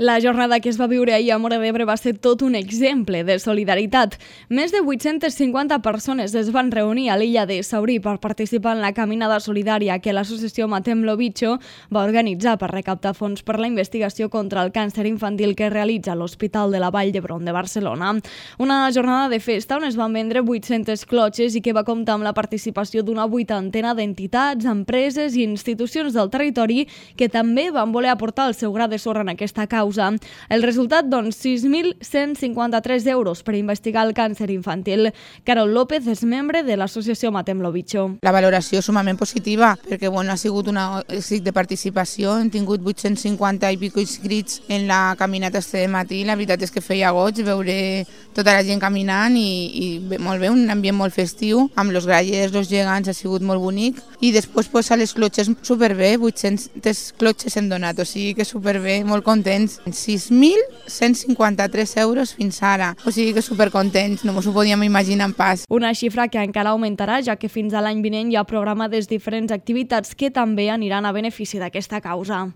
La jornada que es va viure ahir a Móra d'Ebre va ser tot un exemple de solidaritat. Més de 850 persones es van reunir a l'illa de Saurí per participar en la caminada solidària que l'associació Matem lo Bicho va organitzar per recaptar fons per la investigació contra el càncer infantil que realitza l'Hospital de la Vall d'Hebron de Barcelona. Una jornada de festa on es van vendre 800 clotxes i que va comptar amb la participació d'una 80ena d'entitats, empreses i institucions del territori que també van voler aportar el seu gra de sorra en aquesta causa. El resultat, doncs, 6.153 euros per investigar el càncer infantil. Carol López és membre de l'associació Matem lo Bicho. La valoració és sumament positiva perquè ha sigut un èxit de participació. Hem tingut 850 i pico inscrits en la caminata este matí. La veritat és que feia goig veure tota la gent caminant i molt bé, un ambient molt festiu, amb els grallers, els gegants, ha sigut molt bonic. I després a les clotxes superbé, 800 clotxes hem donat, o sigui que superbé, molt contents. 6.153 euros fins ara, o sigui que supercontents, no ens ho podíem imaginar pas. Una xifra que encara augmentarà, ja que fins a l'any vinent hi ha programades diferents activitats que també aniran a benefici d'aquesta causa.